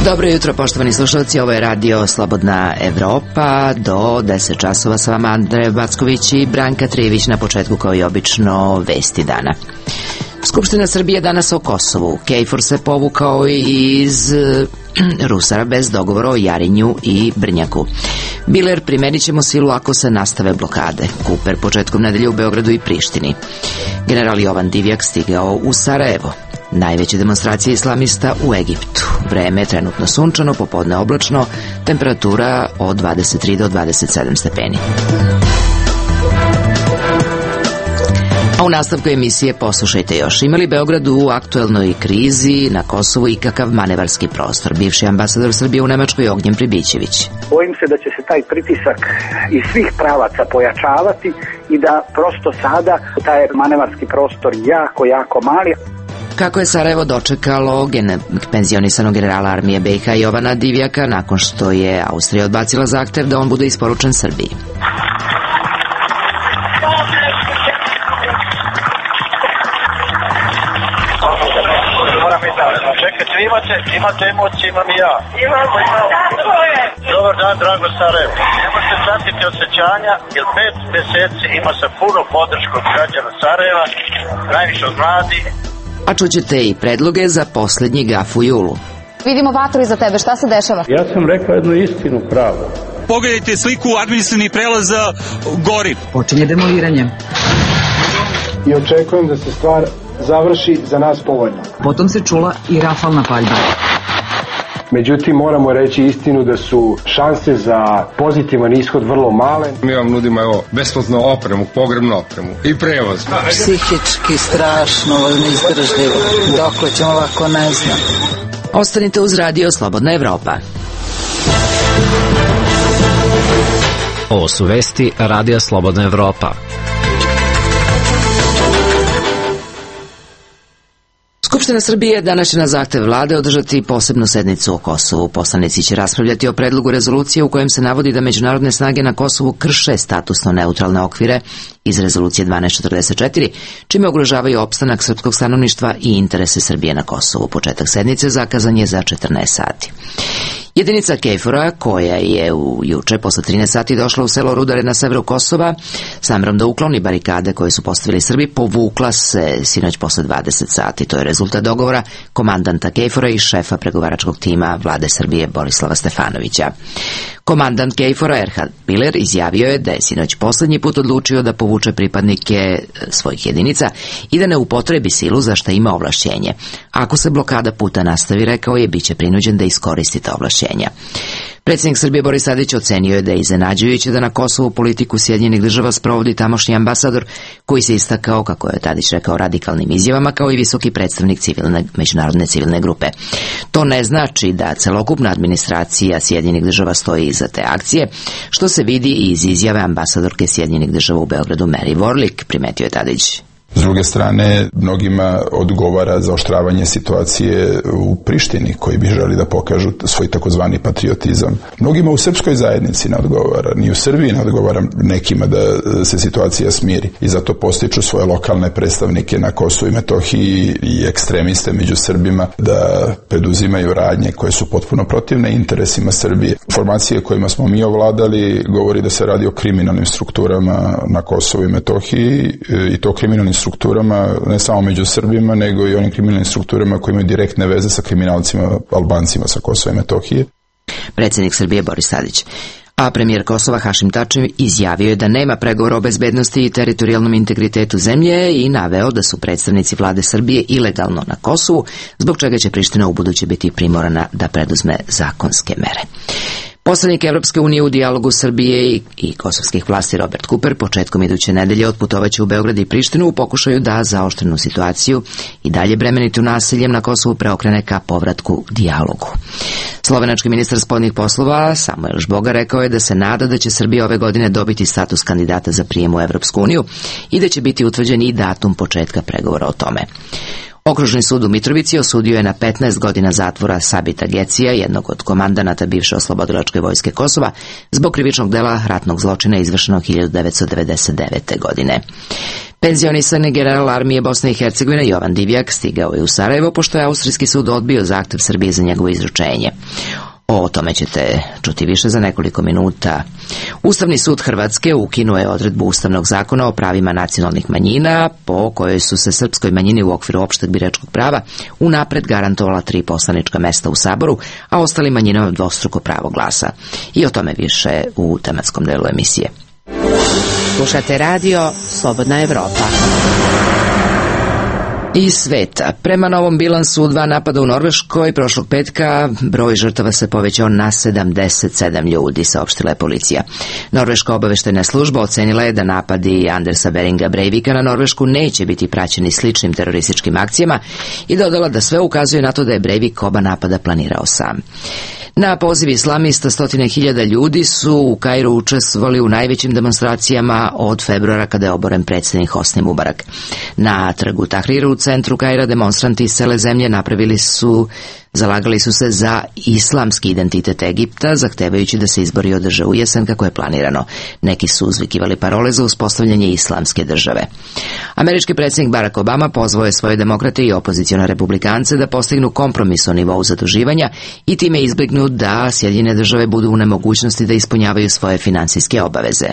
Dobro jutro, poštovani slušalci, ovo je radio Slobodna Evropa, do 10 časova sa vama Andreja Backović i Branka Trijević. Na početku, kao i obično, vesti dana. Skupština Srbije danas o Kosovu. KFOR se povukao iz Rusara bez dogovora o Jarinju i Brnjaku. Biler, primenit ćemo silu ako se nastave blokade. Kuper početkom nedelje u Beogradu i Prištini. General Jovan Divjak stigao u Sarajevo. Najveće demonstracije islamista u Egiptu. Vreme je trenutno sunčano, popodne oblačno, temperatura od 23 do 27 stepeni. A u nastavku emisije poslušajte još. Ima li Beograd u aktuelnoj krizi na Kosovu i kakav manevarski prostor? Bivši ambasador Srbije u Nemačkoj Ognjen Pribićević. Bojim se da će se taj pritisak iz svih pravaca pojačavati i da prosto sada taj manevarski prostor jako mali. Kako je Sarajevo dočekalo penzionisanog generala armije BiH Jovana Divjaka nakon što je Austrija odbacila zahtev da on bude isporučen Srbiji? Čekajte, imate emocije, imam i ja. Imamo. Dobar dan, drago Sarajevo. Nemojte pratiti osjećanja, jer 5 mjeseci ima sa puno podršku građana Sarajeva, najviše od mladi. A čućete i predloge za posljednji gaf u julu. Vidimo vatru iza tebe, šta se dešava? Ja sam rekao jednu istinu pravu. Pogledajte sliku administrativnih prelaza gori. Počinje demoliranje. I očekujem da se stvar završi za nas povoljno. Potom se čula i rafalna paljba. Međutim, moramo reći istinu da su šanse za pozitivan ishod vrlo male. Mi vam nudimo besplatnu opremu, pogrebnu opremu i prevoz. Psihički strašno, neizdržljivo. Dokle ćemo ovako, ne znam. Ostanite uz radio Slobodna Evropa. Ovo su vesti radija Slobodna Evropa. Skupština Srbije danas će na zahtev vlade održati posebnu sednicu o Kosovu. Poslanici će raspravljati o predlogu rezolucije u kojem se navodi da međunarodne snage na Kosovu krše statusno neutralne okvire iz rezolucije 1244, čime ugrožavaju opstanak srpskog stanovništva i interese Srbije na Kosovu. Početak sednice zakazan je za 14 sati. Jedinica KFOR-a, koja je juče posle 13 sati došla u selo Rudare na severu Kosova, s namerom da ukloni barikade koje su postavili Srbi, povukla se sinoć posle 20 sati. To je rezultat dogovora komandanta KFOR-a i šefa pregovaračkog tima vlade Srbije Borislava Stefanovića. Komandant KFOR-a Erhard Biler izjavio je da je sinoć poslednji put odlučio da povuče pripadnike svojih jedinica i da ne upotrebi silu za šta ima ovlašćenje. Ako se blokada puta nastavi, rekao je, bit će prinuđen da iskoristi ta ovlašćenja. Predsjednik Srbije Boris Tadić ocenio je da je iznenađujuće da na Kosovu politiku Sjedinjenih država sprovodi tamošnji ambasador, koji se istakao, kako je Tadić rekao, radikalnim izjavama, kao i visoki predstavnik međunarodne civilne grupe. To ne znači da celokupna administracija Sjedinjenih država stoji iza te akcije, što se vidi i iz izjave ambasadorke Sjedinjenih država u Beogradu Mary Warlick, primetio je Tadić. S druge strane, mnogima odgovara zaoštravanje situacije u Prištini, koji bi želi da pokažu svoj takozvani patriotizam. Mnogima u srpskoj zajednici ne odgovara, ni u Srbiji ne odgovara nekima da se situacija smiri. I zato postiču svoje lokalne predstavnike na Kosovu i Metohiji i ekstremiste među Srbima da preduzimaju radnje koje su potpuno protivne interesima Srbije. Informacije kojima smo mi ovladali govori da se radi o kriminalnim strukturama na Kosovu i Metohiji, i to kriminalnim strukturama ne samo među Srbima, nego i onim kriminalnim strukturama koji imaju direktne veze sa kriminalcima Albancima sa Kosova i Metohije. Predsjednik Srbije Boris Tadić. A premijer Kosova Hašim Tači izjavio je da nema pregovora o bezbednosti i teritorijalnom integritetu zemlje i naveo da su predstavnici vlade Srbije ilegalno na Kosovu, zbog čega će Priština ubuduće biti primorana da preduzme zakonske mere. Poslanik Evropske unije u dijalogu Srbije i kosovskih vlasti Robert Cooper početkom iduće nedelje otputovaće u Beograd i Prištinu u pokušaju da zaoštrenu situaciju i dalje bremenitu nasiljem na Kosovu preokrene ka povratku dijalogu. Slovenački ministar spoljnih poslova Samuel Žboga rekao je da se nada da će Srbija ove godine dobiti status kandidata za prijem u Evropsku uniju i da će biti utvrđen i datum početka pregovora o tome. Okružni sud u Mitrovici osudio je na 15 godina zatvora Sabita Gecija, jednog od komandanata bivše oslobodilačke vojske Kosova, zbog krivičnog dela ratnog zločina izvršenog 1999. godine. Penzionisani general armije Bosne i Hercegovine Jovan Divjak stigao je u Sarajevo pošto je austrijski sud odbio zahtev Srbije za njegovo izručenje. O tome ćete čuti više za nekoliko minuta. Ustavni sud Hrvatske ukinuo je odredbu Ustavnog zakona o pravima nacionalnih manjina, po kojoj su se srpskoj manjini u okviru opšteg biračkog prava unapred garantovala 3 poslanička mesta u Saboru, a ostalim manjinama dvostruko pravo glasa. I o tome više u tematskom delu emisije. Slušate radio Slobodna Evropa. Iz sveta. Prema novom bilansu 2 napada u Norveškoj prošlog petka broj žrtava se povećao na 77 ljudi, saopštila je policija. Norveška obaveštajna služba ocenila je da napadi Andersa Beringa Breivika na Norvešku neće biti praćeni sličnim terorističkim akcijama i dodala da sve ukazuje na to da je Breivik oba napada planirao sam. Na poziv islamista 100.000 ljudi su u Kairu učestvovali u najvećim demonstracijama od februara kada je oboren predsjednik Hosni Mubarak. Na trgu Tahriru u centru Kaira demonstranti iz cele zemlje zalagali su se za islamski identitet Egipta, zahtevajući da se izbori održe u jesen kako je planirano. Neki su uzvikivali parole za uspostavljanje islamske države. Američki predsjednik Barack Obama pozvao je svoje demokrate i opozicione republikance da postignu kompromis o nivou zaduživanja i time izbjegnu da Sjedinjene države budu u nemogućnosti da ispunjavaju svoje finansijske obaveze.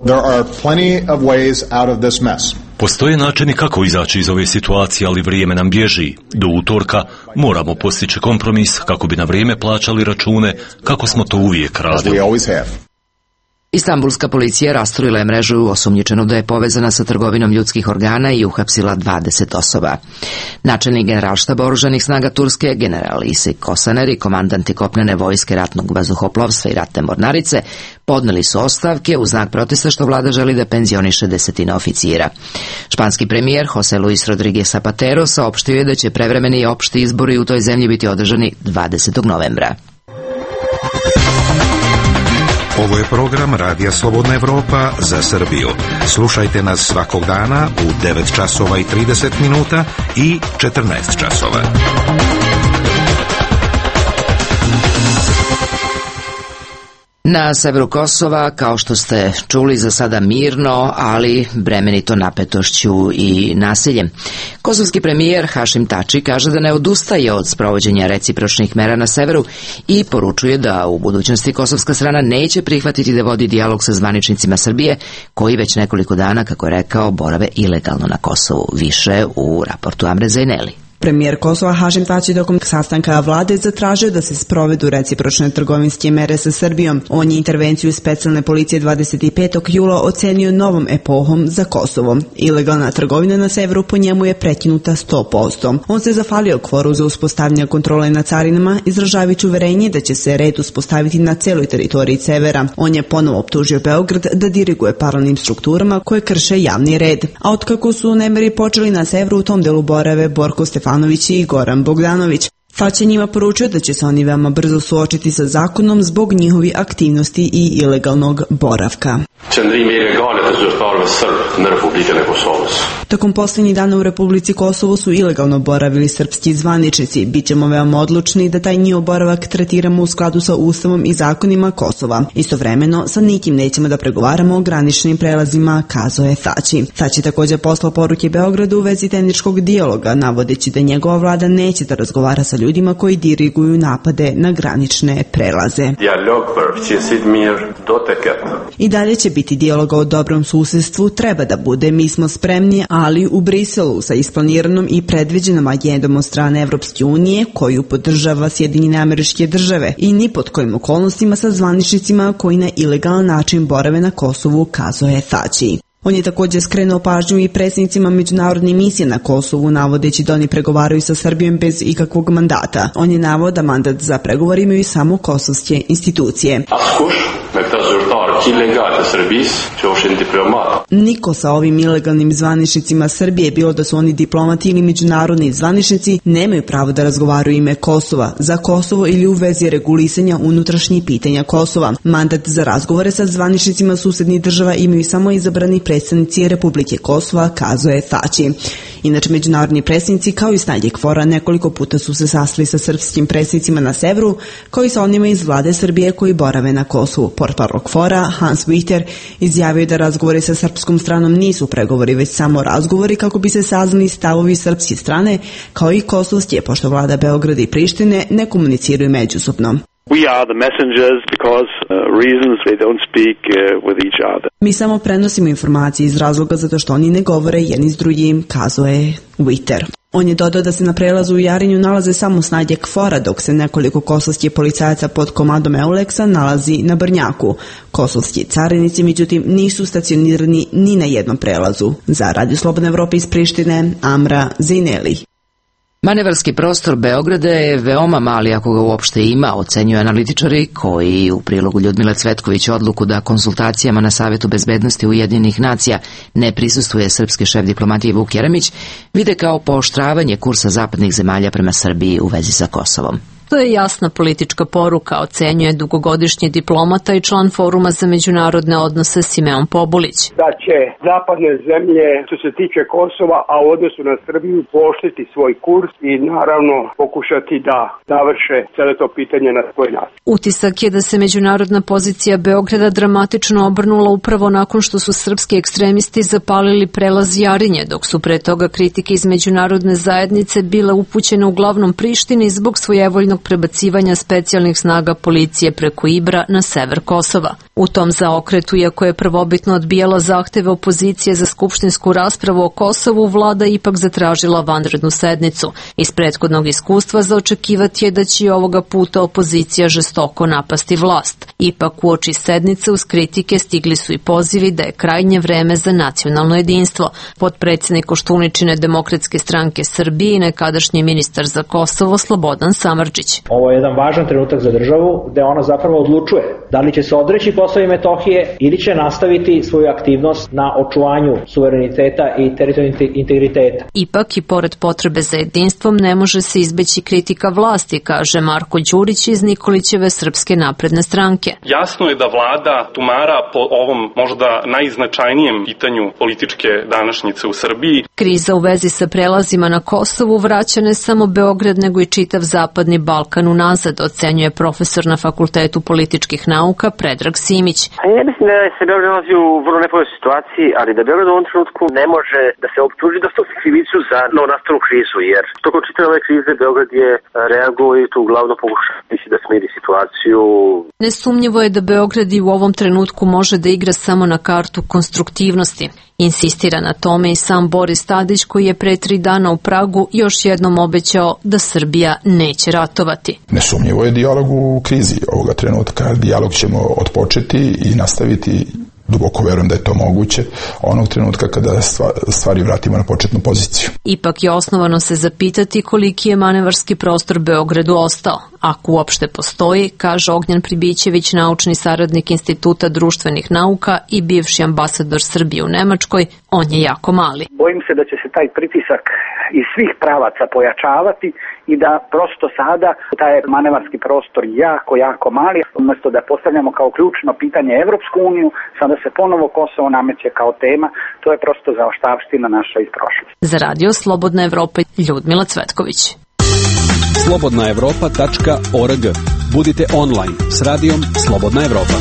There are plenty of ways out of this mess. Postoje načini kako izaći iz ove situacije, ali vrijeme nam bježi. Do utorka moramo postići kompromis kako bi na vrijeme plaćali račune, kako smo to uvijek radili. Istanbulska policija rasturila je mrežu osumnjičenu da je povezana sa trgovinom ljudskih organa i uhapsila 20 osoba. Načelnik generalštaba oružanih snaga Turske, general Isik Kosaner i komandanti kopnene vojske ratnog vazduhoplovstva i ratne mornarice podneli su ostavke u znak protesta što vlada želi da penzioniše 10 oficira. Španski premijer José Luis Rodríguez Zapatero saopštio je da će prevremeni opšti izbori u toj zemlji biti održani 20. novembra. Ovo je program Radija Slobodna Evropa za Srbiju. Slušajte nas svakog dana u 9 časova i 30 minuta i 14 časova. Na severu Kosova, kao što ste čuli, za sada mirno, ali bremenito napetošću i nasiljem. Kosovski premijer Hašim Tači kaže da ne odustaje od sprovođenja recipročnih mera na severu i poručuje da u budućnosti kosovska strana neće prihvatiti da vodi dijalog sa zvaničnicima Srbije, koji već nekoliko dana, kako je rekao, borave ilegalno na Kosovu. Više u raportu Amre Zaineli. Premijer Kosova Hašim Tači tokom sastanka vlade zatražio da se sprovedu recipročne trgovinske mere sa Srbijom. On je intervenciju specijalne policije 25. jula ocenio novom epohom za Kosovo. Ilegalna trgovina na severu po njemu je prekinuta 100%. On se zahvalio KFOR-u za uspostavljanje kontrole na carinama, izražavajući uverenje da će se red uspostaviti na celoj teritoriji severa. On je ponovo optužio Beograd da diriguje paralelnim strukturama koje krše javni red. A otkako su nemiri počeli na severu, u tom delu borave Borko Stefanović i Goran Bogdanović. Tači njima poručuje da će se oni veoma brzo suočiti sa zakonom zbog njihovi aktivnosti i ilegalnog boravka. Tokom posljednjih dana u Republici Kosovo su ilegalno boravili srpski zvaničnici. Bićemo veoma odlučni da taj njihov boravak tretiramo u skladu sa Ustavom i zakonima Kosova. Istovremeno, sa nikim nećemo da pregovaramo o graničnim prelazima, kazao je Tači. Tači također poslao poruke Beogradu u vezi tehničkog dijaloga, navodeći da njegova vlada neće da razgovara sa ljudima koji diriguju napade na granične prelaze. I dalje će biti dijaloga o dobrom susjedstvu, treba da bude, mi smo spremni, ali u Briselu sa isplaniranom i predviđenom agendom od strane Evropske unije koju podržava Sjedinjene Američke Države i ni pod kojim okolnostima sa zvaničnicima koji na ilegalan način borave na Kosovu, kazao je Tači. On je također skrenuo pažnju i predsjednicima međunarodne misije na Kosovu, navodeći da oni pregovaraju sa Srbijom bez ikakvog mandata. On je naveo da mandat za pregovor imaju samo kosovske institucije. Niko sa ovim ilegalnim zvaničnicima Srbije, bilo da su oni diplomati ili međunarodni zvaničnici, nemaju pravo da razgovaraju ime Kosova, za Kosovo ili u vezi regulisanja unutrašnjih pitanja Kosova. Mandat za razgovore sa zvaničnicima susednih država imaju samo izabrani predsjednici predstavnici Republike Kosova, kazuje Tači. Inače, međunarodni predstavnici kao i snage KFOR-a nekoliko puta su se sastali sa srpskim predstavnicima na severu, kao i sa onima iz vlade Srbije koji borave na Kosovu. Portparol KFOR-a Hans Witter izjavio da razgovori sa srpskom stranom nisu pregovori, već samo razgovori kako bi se saznali stavovi srpske strane, kao i kosovske, pošto vlada Beograda i Prištine ne komuniciraju međusobno. We are the messengers because reasons they don't speak with each other. Mi samo prenosimo informacije iz razloga zato što oni ne govore jedni s drugim, kazuje Witter. On je dodao da se na prelazu u Jarinju nalaze samo snage KFOR-a, dok se nekoliko kosovskih policajaca pod komandom Euleksa nalazi na Brnjaku. Kosovski carinici, međutim, nisu stacionirani ni na jednom prelazu. Za Radio Slobodna Evropa iz Prištine, Amra Zineli. Manevarski prostor Beograda je veoma mali ako ga uopšte ima, ocenjuju analitičari koji u prilogu Ljudmile Cvetković odluku da konsultacijama na Savetu bezbednosti Ujedinjenih nacija ne prisustuje srpski šef diplomatije Vuk Jeremić, vide kao pooštravanje kursa zapadnih zemalja prema Srbiji u vezi sa Kosovom. To je jasna politička poruka, ocenjuje dugogodišnji diplomata i član Foruma za međunarodne odnose Simeon Pobulić. Da će zapadne zemlje, što se tiče Kosova, a u odnosu na Srbiju, pooštriti svoj kurs i naravno pokušati da završe celo to pitanje na svoj način. Utisak je da se međunarodna pozicija Beograda dramatično obrnula upravo nakon što su srpski ekstremisti zapalili prelaz Jarinje, dok su pre toga kritike iz međunarodne zajednice bile upućene uglavnom Prištini zbog svojevoljnog prebacivanja specijalnih snaga policije preko Ibra na sever Kosova. U tom zaokretu, iako je prvobitno odbijala zahteve opozicije za skupštinsku raspravu o Kosovu, vlada ipak zatražila vanrednu sednicu. Iz prethodnog iskustva za očekivati je da će i ovoga puta opozicija žestoko napasti vlast. Ipak uoči sednice uz kritike stigli su i pozivi da je krajnje vreme za nacionalno jedinstvo. Potpredsjednik Koštuničine Demokratske stranke Srbije i nekadašnji ministar za Kosovo Slobodan Samardžić. Ovo je jedan važan trenutak za državu gde ona zapravo odlučuje da li će se odreći Kosova i Metohije ili će nastaviti svoju aktivnost na očuvanju suvereniteta i teritorijalnog integriteta. Ipak i pored potrebe za jedinstvom ne može se izbeći kritika vlasti, kaže Marko Đurić iz Nikolićeve Srpske napredne stranke. Jasno je da vlada tumara po ovom možda najznačajnijem pitanju političke današnjice u Srbiji. Kriza u vezi sa prelazima na Kosovu vraća ne samo Beograd nego i čitav zapadni Balkan unazad, ocenjuje profesor na Fakultetu političkih nauka Predrag Simić. Ja mislim da se Beograd nalazi u vrlo nepovoljnoj situaciji, ali da Beograd u ovom trenutku ne može da se optuži da stopi krivicu za novonastalu krizu, jer tokom čitave ove krize Beograd je reagovao i to uglavnom pokušavajući da smiri situaciju. Nesumnjivo je da Beograd i u ovom trenutku može da igra samo na kartu konstruktivnosti. Insistira na tome i sam Boris Tadić, koji je pre 3 dana u Pragu još jednom obećao da Srbija neće ratovati. Nesumnjivo je dijalog u krizi ovoga trenutka. Dijalog ćemo otpočeti i nastaviti. Duboko verujem da je to moguće onog trenutka kada stvari vratimo na početnu poziciju. Ipak je osnovano se zapitati koliki je manevarski prostor Beogradu ostao. Ako uopšte postoji, kaže Ognjan Pribićević, naučni saradnik Instituta društvenih nauka i bivši ambasador Srbije u Nemačkoj, on je jako mali. Bojim se da će se taj pritisak iz svih pravaca pojačavati i da prosto sada taj manevarski prostor jako mali. Umjesto da postavljamo kao ključno pitanje Evropsku uniju, sada se ponovo Kosovo nameće kao tema. To je prosto zaoštavština naša iz prošlosti. Za Radio Slobodna Evropa, Ljudmila Cvetković. slobodnaevropa.org. Budite online s radijom Slobodna Evropa.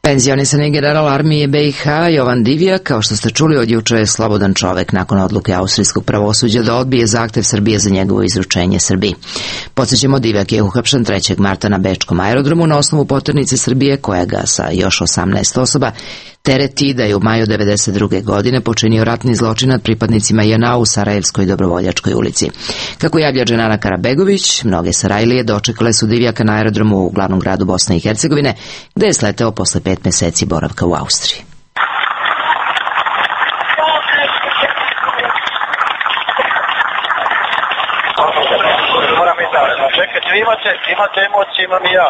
Penzionisani general armije BiH Jovan Divjak, kao što ste čuli, od juče je slobodan čovek nakon odluke austrijskog pravosuđa da odbije zahtev Srbije za njegovo izručenje Srbiji. Podsjećamo, Divjak je uhapšen 3. marta na bečkom aerodromu na osnovu poternice Srbije, koja ga sa još 18 osoba tereti da je u maju 1992. godine počinio ratni zločin nad pripadnicima JNA u Sarajevskoj Dobrovoljačkoj ulici. Kako javlja Dženana Karabegović, mnoge Sarajlije dočekale su Divjaka na aerodromu u glavnom gradu Bosne i Hercegovine, gde je sleteo posle 5 meseci boravka u Austriji. Imate emocije, imam i ja.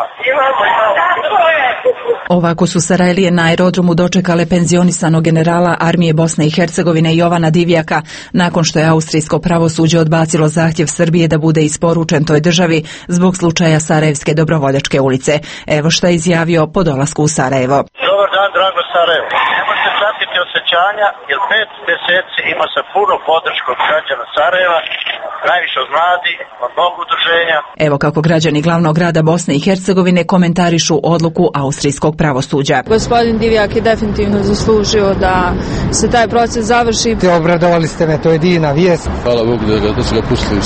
Ovako su Sarajlije na aerodromu dočekale penzionisanog generala armije Bosne i Hercegovine Jovana Divjaka, nakon što je austrijsko pravosuđe odbacilo zahtjev Srbije da bude isporučen toj državi zbog slučaja Sarajevske Dobrovoljačke ulice. Evo šta je izjavio po dolasku u Sarajevo. Dobar dan, drago Sarajevo. Ne možete shvatiti osjećanja, jer 5 mjeseci ima se puno podršku od građana Sarajeva, najviše od mladih, od mnogo udruženja. Evo kako građani glavnog grada Bosne i Hercegovine komentarišu odluku austrijskog pravosuđa. Gospodin Divjak je definitivno zaslužio da se taj proces završi. Obradovali ste me, to je divna vijest. Hvala Bogu da su ga pustili.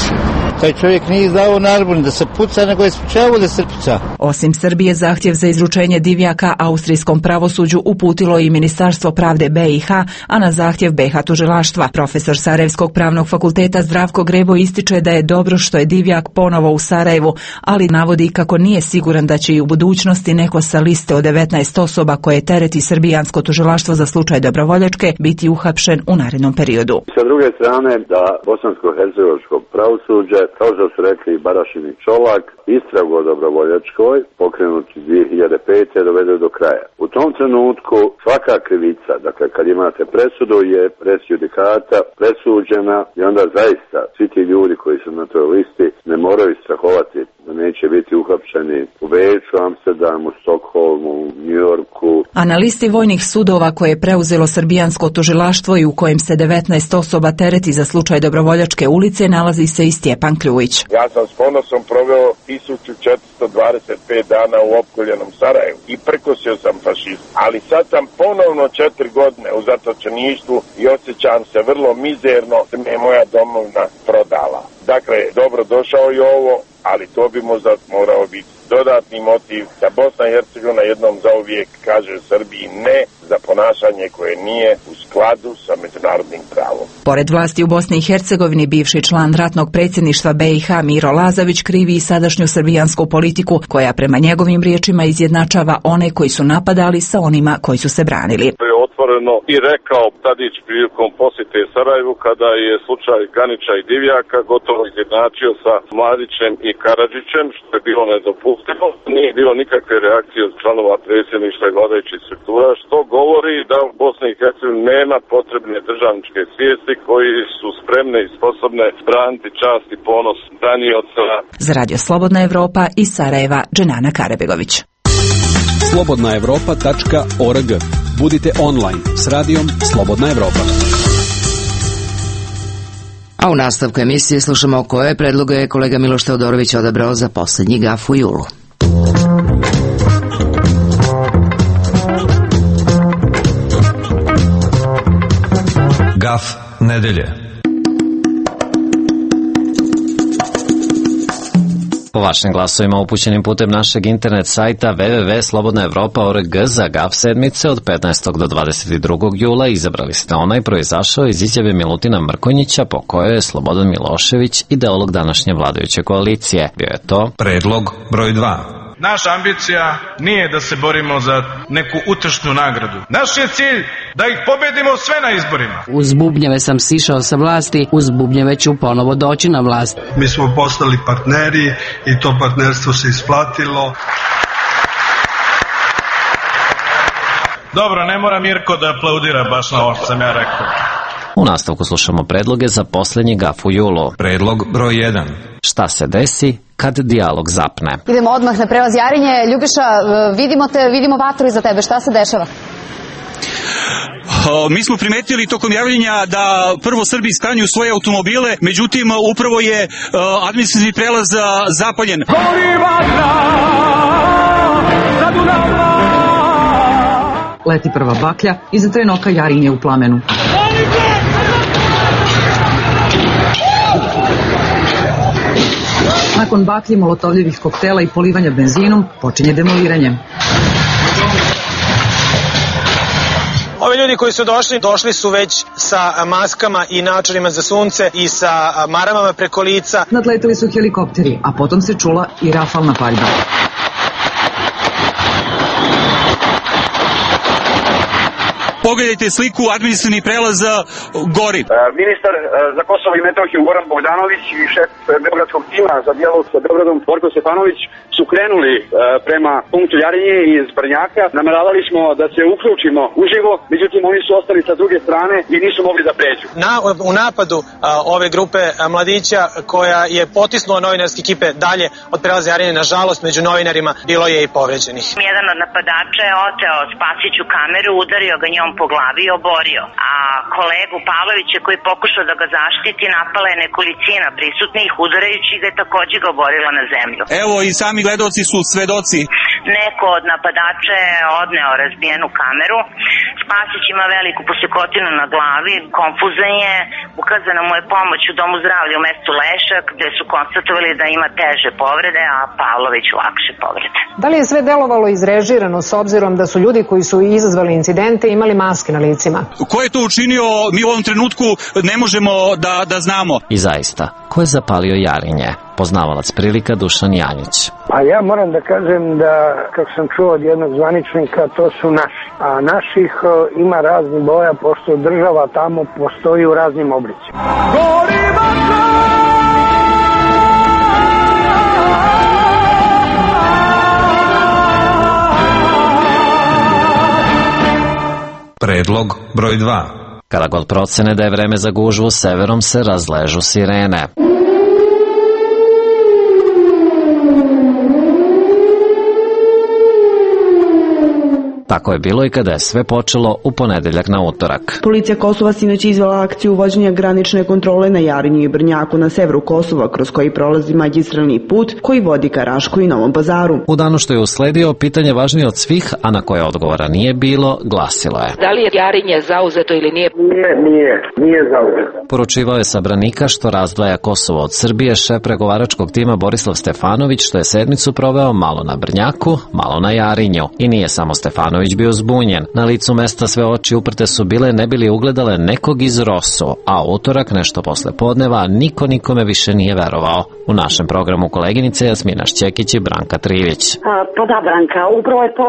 Taj čovjek nije izdao naredbu da se puca, nego je sprečavao da se puca. Osim Srbije, zahtjev za izručenje Divjaka austrijskom pravosuđu uputilo i Ministarstvo pravde BiH, a na zahtjev BiH tužilaštva. Profesor Sarajevskog pravnog fakulteta Zdravko Grebo ističe da je dobro što je Divjak ponovo u Sarajevu, ali navodi kako nije siguran da će i u budućnosti neko sa liste od 19 osoba koje tereti srbijansko tužilaštvo za slučaj Dobrovoljačke biti uhapšen u narednom periodu. Sa druge strane, da bosansko-hercegovačko pravosuđe, kao što su rekli Barašin i Čolak, istragu o Dobrovoljačkoj, pokrenuti 2005. dovede do kraja. U tom trenutku svaka krivica, dakle kad imate presudu, je pres judikata presuđena i onda zaista svi ti ljudi koji su na toj listi ne moraju strahovati da neće biti uhapšeni u Beču, Amsterdamu, Stokholmu, Njujorku. A na listi vojnih sudova koje je preuzelo srbijansko tužilaštvo i u kojem se 19 osoba tereti za slučaj Dobrovoljačke ulice nalazi se i Stjepan Kljujić. Ja sam s ponosom proveo 1425 dana u opkoljenom Sarajevu i prkosio sam fašizam. Ali sad sam ponovno 4 godine u zatočeništvu i osjećam se vrlo mizerno da me je moja domovina prodala. Dakle, dobro došao je ovo, ali to bi možda morao biti dodatni motiv da Bosna i Hercegovina jednom zauvijek kaže Srbiji ne za ponašanje koje nije u skladu sa međunarodnim pravom. Pored vlasti u Bosni i Hercegovini, bivši član ratnog predsjedništva BiH Miro Lazović krivi i sadašnju srbijansku politiku, koja prema njegovim riječima izjednačava one koji su napadali sa onima koji su se branili. Otvoreno i rekao Tadić prilikom posjete Sarajevu kada je slučaj Ganića i Divjaka gotovo izjednačio sa Mladićem i Karadžićem, što je bilo nedopustivo. Nije bilo nikakve reakcije od članova predsjedništva i vladajućih struktura, što govori da u Bosni i Hercegovini nema potrebne državničke svijesti koji su spremne i sposobne braniti čast i ponos branioca. Za Radio Slobodna Evropa iz Sarajeva, Dženana Karabegović. slobodnaevropa.org. Budite online s radijom Slobodna Evropa. A u nastavku emisije slušamo koje predloge je kolega Miloš Teodorović odabrao za posljednji gaf u julu. Gaf nedelje. Po vašim glasovima upućenim putem našeg internet sajta www.slobodnaevropa.org za GAF sedmice od 15. do 22. jula izabrali ste onaj proizašao iz izjave Milutina Mrkonjića po kojoj je Slobodan Milošević ideolog današnje vladajuće koalicije. Bio je to predlog broj 2. Naša ambicija nije da se borimo za neku utršnu nagradu. Naš je cilj da ih pobedimo sve na izborima. Uz bubnjeve sam sišao sa vlasti, uz bubnjeve ću ponovo doći na vlast. Mi smo postali partneri i to partnerstvo se isplatilo. Dobro, ne mora Mirko da aplaudira baš na ovo što sam ja rekao. U nastavku slušamo predloge za posljednji gaf u julu. Predlog broj 1. Šta se desi kad dijalog zapne? Idemo odmah na prelaz Jarinje. Ljubiša, vidimo vatru iza tebe. Šta se dešava? Mi smo primetili tokom javljenja da prvo Srbi stanju svoje automobile, međutim upravo je administrativni prelaz zapaljen. Leti prva baklja, iza trena oka Jarinje u plamenu. Nakon baklje, molotovljevih koktela i polivanja benzinom, počinje demoliranje. Ovi ljudi koji su došli su već sa maskama i naočarima za sunce i sa maramama preko lica. Nadleteli su helikopteri, a potom se čula i rafalna paljba. Pogledajte sliku administrativnih prelaza gori. Ministar za Kosovo i Metohiju Goran Bogdanović i šef beogradskog tima za dijalog sa Beogradom Borko Stefanović su krenuli prema punktu Jarinje iz Brnjaka. Nameravali smo da se uključimo uživo, međutim oni su ostali sa druge strane i nisu mogli da pređu. U napadu ove grupe mladića koja je potisnula novinarske ekipe dalje od prelaza Jarinje, nažalost među novinarima bilo je i povređenih. Jedan od napadača je oteo Spasiću kameru, udario ga njom po glavi i oborio. A kolegu Pavlovića koji pokušao da ga zaštiti, napala je nekolicina prisutnih, udarajući ga takođe ga oborila na zemlju. Evo i sami gledaoci su svedoci. Neko od napadača je odneo razbijenu kameru. Spasić ima veliku posekotinu na glavi, konfuzan je, ukazana mu je pomoć u domu zdravlja u mestu Lešak, gde su konstatovali da ima teže povrede, a Pavlović lakše povrede. Da li je sve delovalo izrežirano s obzirom da su ljudi koji su izazvali incidente imali maske na licima? Ko je to učinio, mi u ovom trenutku ne možemo da znamo. I zaista, ko je zapalio Jarinje? Poznavalac prilika Dušan Janjić. A ja moram da kažem da, kako sam čuo od jednog zvaničnika, to su naši. A naših ima raznih boja, pošto država tamo postoji u raznim oblicima. Predlog broj 2. Kada god procene da je vreme za gužvu, severom se razležu sirene. Tako je bilo i kada je sve počelo u ponedeljak na utorak. Policija Kosova sinoć izvela akciju uvođenja granične kontrole na Jarinju i Brnjaku na severu Kosova, kroz koji prolazi magistralni put koji vodi ka Rašku i Novom Pazaru. U danu što je usledio, pitanje važnije od svih, a na koje odgovora nije bilo, glasilo je: da li je Jarinje zauzeto ili nije? Nije zauzeto. Poručivao je sa branika što razdvaja Kosovo od Srbije šef pregovaračkog tima Borislav Stefanović, što je sedmicu proveo malo na Brnjaku, malo na Jarinju. I nije samo Stefanović bio zbunjen. Na licu mesta sve oči uprte su bile ne bili ugledale nekog iz Rosu, a utorak nešto posle podneva niko nikome više nije verovao. U našem programu koleginice Jasmina Šćekić i Branka Trivić. Pa da, Branka, upravo je to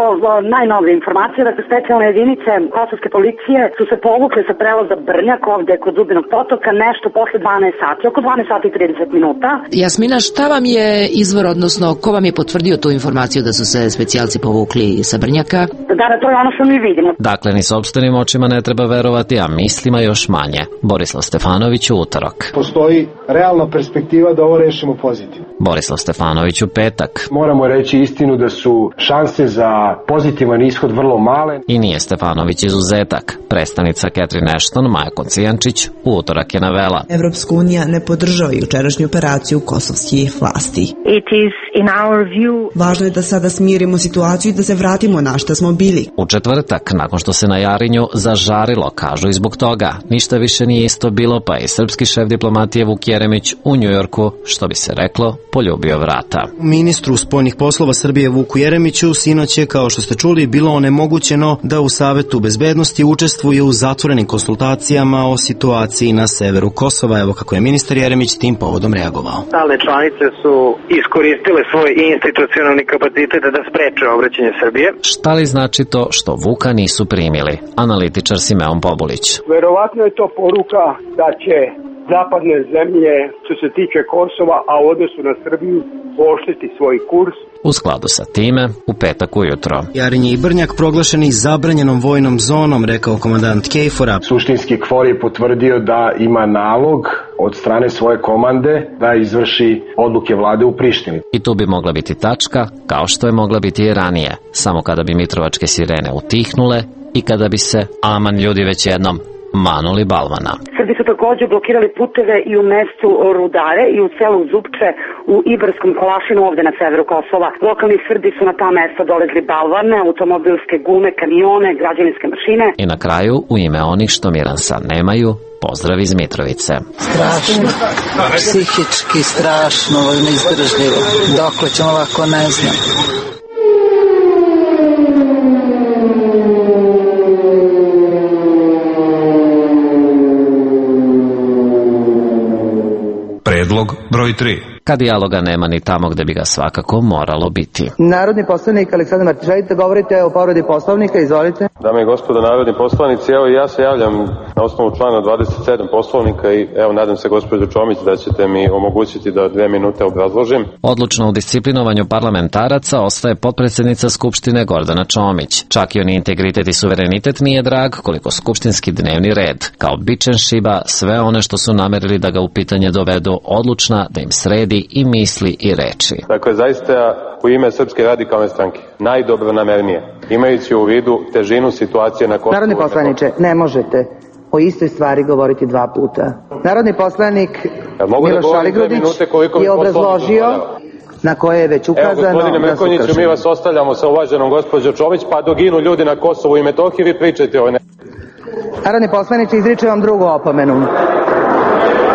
najnovija informacija, da specijalne jedinice kosovske policije su se povukle sa prelaza Brnjak ovde kod Zubinog potoka nešto posle 12 sati, oko 12 sati i 30 minuta. Jasmina, šta vam je izvor, odnosno ko vam je potvrdio tu informaciju da su se specijalci povukli sa Brnjaka? Da, to je ono što mi vidimo. Dakle, ni sopstvenim očima ne treba verovati, a mislima još manje. Borislav Stefanović u utorak. Postoji realna perspektiva da ovo rešimo pozitivno. Borislav Stefanović u petak. Moramo reći istinu da su šanse za pozitivan ishod vrlo male. I nije Stefanović izuzetak. Predstavnica Catherine Ashton, Maja Kocijančić, u utorak je navela: Evropska unija ne podržava jučerašnju operaciju kosovskih vlasti. Važno je da sada smirimo situaciju i da se vratimo na šta smo bili. U četvrtak, nakon što se na Jarinju zažarilo, kažu i zbog toga, ništa više nije isto bilo, pa i srpski šef diplomatije Vuk Jeremić u Njujorku, što bi se reklo, poljubio vrata. Ministru spoljnih poslova Srbije Vuku Jeremiću sinoć je, kao što ste čuli, bilo onemogućeno da u Savetu bezbednosti učestvuje u zatvorenim konsultacijama o situaciji na severu Kosova. Evo kako je ministar Jeremić tim povodom reagovao. Stalne članice su iskoristile svoj institucionalni kapacitet da spreče obraćanje Srbije. Šta li znači to što Vuka nisu primili? Analitičar Simeon Pobulić. Verovatno je to poruka da će zapadne zemlje, što se tiče Kosova, a u odnosu na Srbiju, pooštriti svoj kurs. U skladu sa time, u petak ujutro. Jarinje i Brnjak proglašeni zabranjenom vojnom zonom, rekao komandant KFOR-a. Suštinski KFOR je potvrdio da ima nalog od strane svoje komande da izvrši odluke vlade u Prištini. I tu bi mogla biti tačka, kao što je mogla biti i ranije, samo kada bi mitrovačke sirene utihnule i kada bi se, aman ljudi, već jednom manuli balvana. Srbi su takođe blokirali puteve i u mestu Rudare i u selu Zupče u Ibarskom Kolašinu ovde na severu Kosova. Lokalni Srbi su na ta mesta dolezli balvane, automobilske gume, kamione, građevinske mašine. I na kraju, u ime onih što miransa nemaju, pozdrav iz Mitrovice. Strašno, psihički strašno, neizdržljivo. Dokle ćemo ovako, ne znam. Predlog broj 3. Kad dijaloga nema ni tamo gde bi ga svakako moralo biti. Narodni poslanik Aleksandar Martić, želite govorite o povredi Poslovnika, izvolite. Dame i gospodo narodni poslanici, evo ja se javljam na osnovu člana 27 Poslovnika i evo nadam se gospođo Čomić da ćete mi omogućiti da 2 minute obrazložim. Odlučno u disciplinovanju parlamentaraca ostaje potpredsednica Skupštine Gordana Čomić. Čak i on integritet i suverenitet nije drag koliko skupštinski dnevni red. Kao bičen šiba sve one što su namerili da ga u pitanje dovedu odlučna da im sredi i misli i reči. Dakle, zaista u ime Srpske radikalne stranke najdobronamernije, imajući u vidu težinu situacije na Kosovu. Narodni poslaniče, ne možete o istoj stvari govoriti 2 puta. Narodni poslanik Miloš Aligrudić je obrazložio na koje je već ukazano. Evo, gospodine Mrkonjiću, mi vas ostavljamo sa uvaženom gospođo Čomić, pa dok ginu ljudi na Kosovu i Metohiji, vi pričajte o ne... Narodni poslaniče, izričem vam drugu opomenu.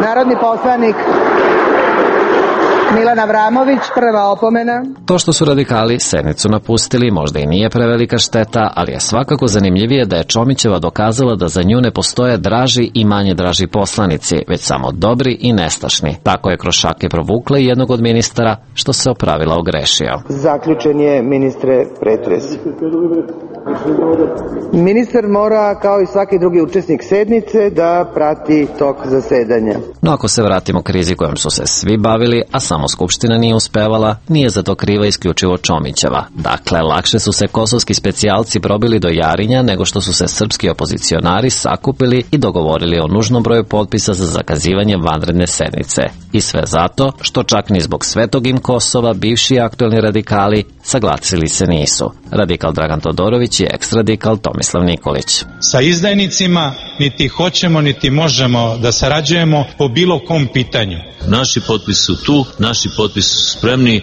Narodni poslanik Milan Avramović, prva opomena. To što su radikali sednicu napustili možda i nije prevelika šteta, ali je svakako zanimljivije da je Čomićeva dokazala da za nju ne postoje draži i manje draži poslanici, već samo dobri i nestašni. Tako je kroz šake provukla i jednog od ministara, što se opravila ogrešio. Zaključen je, ministre, pretres. Ministar mora, kao i svaki drugi učesnik sednice, da prati tok zasedanja. No ako se vratimo krizi kojom su se svi bavili, a samo Skupština nije uspevala, nije za to kriva isključivo Čomićeva. Dakle, lakše su se kosovski specijalci probili do Jarinja nego što su se srpski opozicionari sakupili i dogovorili o nužnom broju potpisa za zakazivanje vanredne sednice. I sve zato što čak ni zbog svetog im Kosova bivši aktuelni radikali saglasili se nisu. Radikal Dragan Todorović i ex-radikal Tomislav Nikolić. Sa izdajnicima niti hoćemo niti možemo da sarađujemo po bilo kom pitanju. Naši potpisi su tu, naši potpisi su spremni,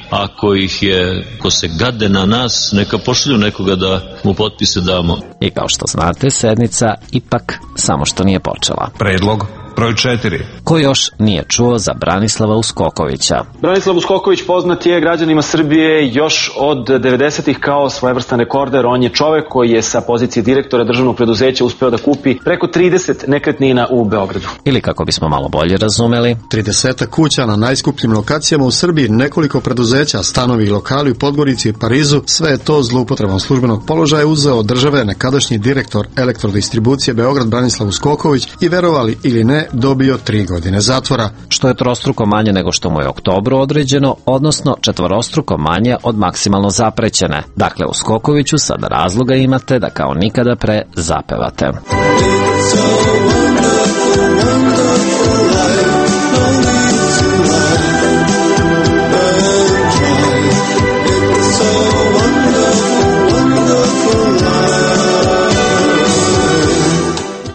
ko se gade na nas, neka pošalju nekoga da mu potpise damo. I kao što znate, sednica ipak samo što nije počela. Predlog broj 4. Ko još nije čuo za Branislava Uskokovića? Branislav Uskoković poznat je građanima Srbije još od 90-ih kao svojevrstan rekorder. On je čovek koji je sa pozicije direktora državnog preduzeća uspeo da kupi preko 30 nekretnina u Beogradu. Ili kako bismo malo bolje razumeli, 30 kuća na najskupljim lokacijama u Srbiji, nekoliko preduzeća, stanovi i lokali u Podgorici i Parizu, sve je to zloupotrebom službenog položaja uzeo od države nekadašnji direktor Elektrodistribucije Beograd Branislav Uskoković i, verovali ili ne, dobio 3 godine zatvora. Što je trostruko manje nego što mu je u oktobru određeno, odnosno 4-struko manje od maksimalno zaprećene. Dakle, u Skokoviću sada razloga imate da kao nikada pre zapevate.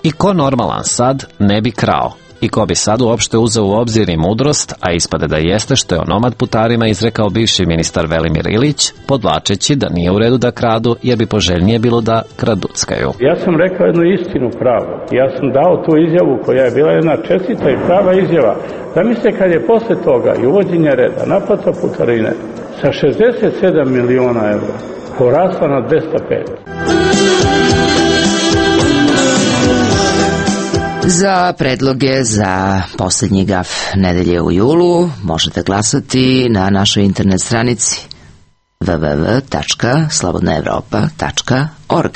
I ko normalan sad ne bi krao? I ko bi sad uopšte uzeo u obzir i mudrost, a ispade da jeste što je o nomad putarima izrekao bivši ministar Velimir Ilić, podvlačeći da nije u redu da kradu, jer bi poželjnije bilo da kraduckaju. Ja sam rekao jednu istinu pravu. Ja sam dao tu izjavu koja je bila jedna čestita i prava izjava. Zamislite kad je posle toga i uvođenja reda naplata putarine sa 67 miliona evra porasla na 205. Za predloge za poslednji gaf nedelje u julu možete glasati na našoj internet stranici www.slobodnaevropa.org.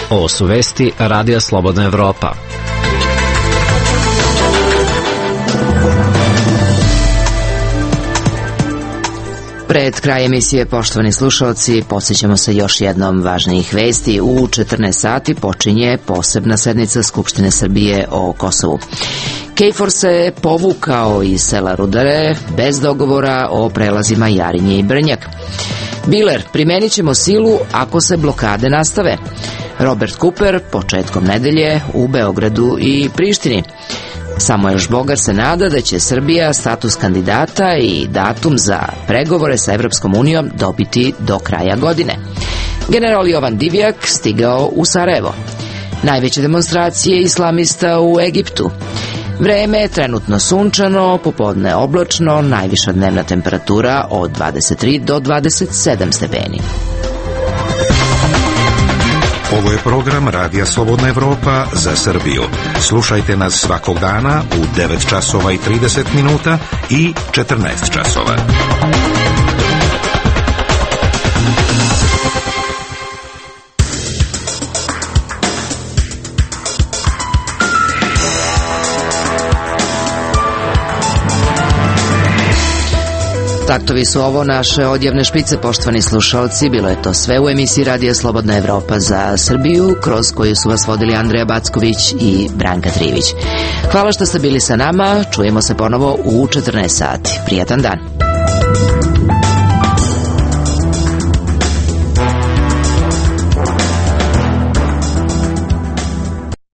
Ovo su vesti Radija Slobodna Evropa. Pred kraj emisije, poštovani slušalci, podsjećamo se još jednom važnijih vesti. U 14 sati počinje posebna sednica Skupštine Srbije o Kosovu. KFOR se povukao iz sela Rudare bez dogovora o prelazima Jarinje i Brnjak. Biler, primenit ćemo silu ako se blokade nastave. Robert Cooper početkom nedelje u Beogradu i Prištini. Samuel Žbogar se nada da će Srbija status kandidata i datum za pregovore sa Evropskom unijom dobiti do kraja godine. General Jovan Divjak stigao u Sarajevo. Najveće demonstracije islamista u Egiptu. Vreme je trenutno sunčano, popodne oblačno, najviša dnevna temperatura od 23 do 27 stepeni. Ovo je program Radija Slobodna Evropa za Srbiju. Slušajte nas svakog dana u 9 časova i 30 minuta i 14 časova. Taktovi su ovo naše odjavne špice, poštovani slušalci. Bilo je to sve u emisiji Radija Slobodna Evropa za Srbiju, kroz koju su vas vodili Andreja Backović i Branka Trivić. Hvala što ste bili sa nama, čujemo se ponovo u 14 sati. Prijatan dan.